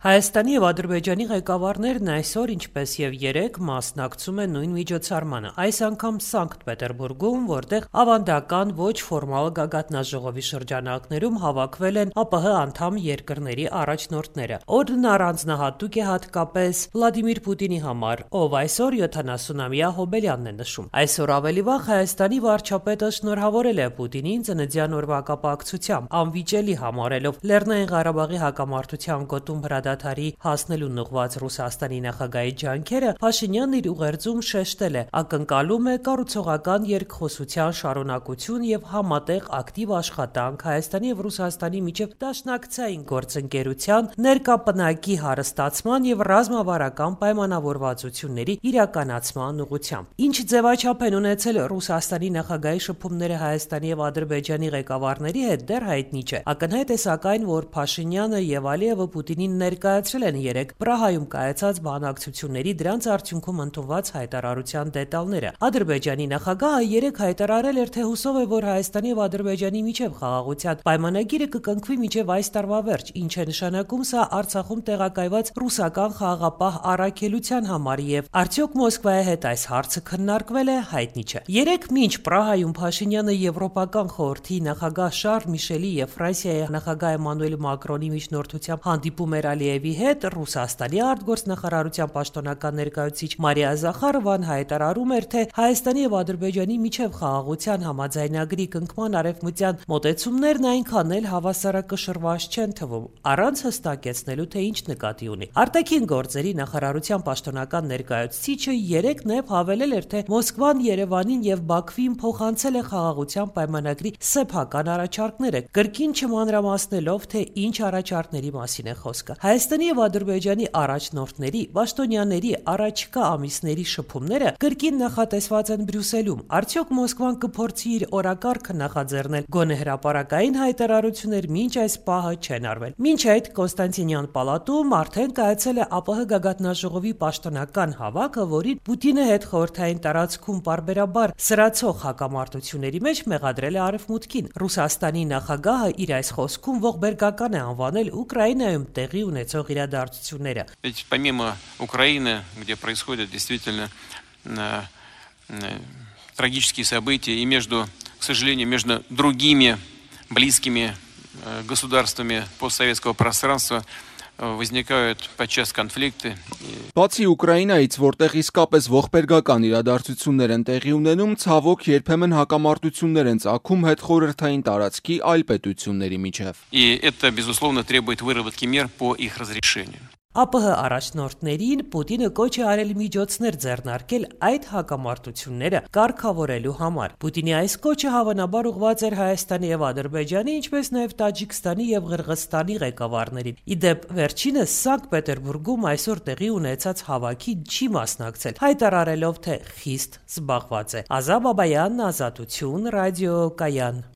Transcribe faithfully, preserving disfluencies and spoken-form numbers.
Հայաստանի եւ Ադրբեջանի ղեկավարներն այսօր, ինչպես եւ երեկ, մասնակցում են նույն միջոցառմանը, այս անգամ Սանկտ Պետերբուրգում, որտեղ ավանդական ոչ ֆորմալ գագաթնաժողովի շրջանակներում հավաքվել են ԱՊՀ անդամ երկրների առաջնորդները։ Օրն առանձնահատուկ է հատկապես Վլադիմիր Պուտինի համար, ով այսօր յոթանասունամյա հոբելյանն է նշում։ Այսօր ավելի վաղ Հայաստանի վարչապետը շնորհավորել է Պուտինին ծննդյան օրվա կապակցությամբ, անվիճելի համարելով Լեռնային Ղարաբաղի հակամարտության գոտում հրադադարի հասնելուն ուղղված Ռուսաստանի նախագահի ջանքերը, Փաշինյանն իր ուղերձում շեշտել է, ակնկալում է կառուցողական երկխոսության շարունակություն եւ համատեղ ակտիվ աշխատանք Հայաստանի եւ Ռուսաստանի միջև դաշնակցային գործընկերության, ներկա պնակի հարստացման եւ ռազմավարական պայմանավորվածությունների իրականացման ուղղությամբ։ Ինչ ձևաչափ են ունեցել Ռուսաստանի նախագահի շփումները Հայաստանի եւ Ադրբեջանի ղեկավարների հետ, դեռ հայտնի չէ։ Ակնհայտ է սակայն, որ Փաշինյանը եւ Ալիևը Պուտինին ներկայացրել են երեկ Պրահայում կայացած բանակցությունների դրանց արդյունքում ընդունված հայտարարության դետալները։ Ադրբեջանի նախագահը երեկ հայտարարել էր, թե հուսով է, որ Հայաստանի եւ Ադրբեջանի միջև խաղաղության պայմանագիրը կկնքվի մինչև այս տարվա վերջ, ինչ է նշանակում սա Արցախում տեղակայված ռուսական խաղաղապահ առաքելության համար եւ արդյոք Մոսկվայի հետ այս հարցը քննարկվել է, հայտնի չէ։ Երեկ մինչ Պրահայում Փաշինյանը Եվրոպական խորհրդի նախագահ Շարլ Միշելի եւ Ֆրանսիայի նախագահ Էմանուել Մակրոնի միջնորդությամբ հանդիպում էր Ալիևի հետ, Ռուսաստանի արտգործնախարարության պաշտոնական ներկայացուցիչ Մարիա Զախարովան հայտարարում էր, թե Հայաստանի եւ Ադրբեջանի միջև խաղաղության համաձայնագրի կնքման արևմտյան մոտեցումներն այնքան էլ հավասարակշռված չեն թվում, առանց հստակեցնելու, թե ինչ նկատի ունի։ Արտաքին գործերի նախարարության պաշտոնական ներկայացուցիչը երեկ նաև հավելել էր, թե Մոսկվան Երևանին եւ Բաքվին փոխանցել է խաղաղության պայմանագրի սեփական առաջարկները, կրկին չմանրամասնելով, թե ինչ առաջարկների մասին է խոսքը։ Հայաստանի եւ Ադրբեջանի առաջնորդների, պաշտոնյաների առաջիկա ամիսների շփումները կրկին նախատեսված են Բրյուսելում։ Արդյոք Մոսկվան կփորձի իր օրակարգը նախաձեռնել գոնե հրապարակային հայտարարություններ, մինչ այս պահը չեն արվել։ Մինչ այդ Կոնստանտինյան պալատում արդեն կայացել է ԱՊՀ գագաթնաժողովի պաշտոնական հավաքը, որին Պուտինը հետ խորհրդային տարածքում պարբերաբար սրացող հակամարտությունների մեջ մեղադրել է Արևմուտքին։ Ռուսաստանի նախագահը իր այս խոսքում ողբերգական է անվանել Ուկրաինայում տեղի ունեցող իրադարձությունները։ Ведь помимо Украины, где происходят действительно трагические события, и между, к сожалению, между другими близкими государствами постсоветского пространства возникают подчас конфликты. Բացի Ուկրաինայից, որտեղ իսկապես ողբերգական իրադարձություններ են տեղի ունենում, ցավոք երբեմն հակամարտություններ են ծագում հետխորհրդային տարածքի այլ պետությունների միջև։ И это, безусловно, требует выработки мер по их разрешению. ԱՊՀ առաջնորդներին Պուտինը կոչ է արել միջոցներ ձեռնարկել այդ հակամարտությունները կարգավորելու համար։ Պուտինի այս կոչը հավանաբար ուղղված էր Հայաստանի եւ Ադրբեջանի, ինչպես նաեւ Տաջիկստանի եւ Ղրղստանի ղեկավարներին։ Իդեպ վերջինս Սանկտ Պետերբուրգում այսօր տեղի ունեցած հավաքին չի մասնակցել, հայտարարելով, թե խիստ զբաղված է։ Ազա Բաբայան, Ազատություն, ռադիոկայան։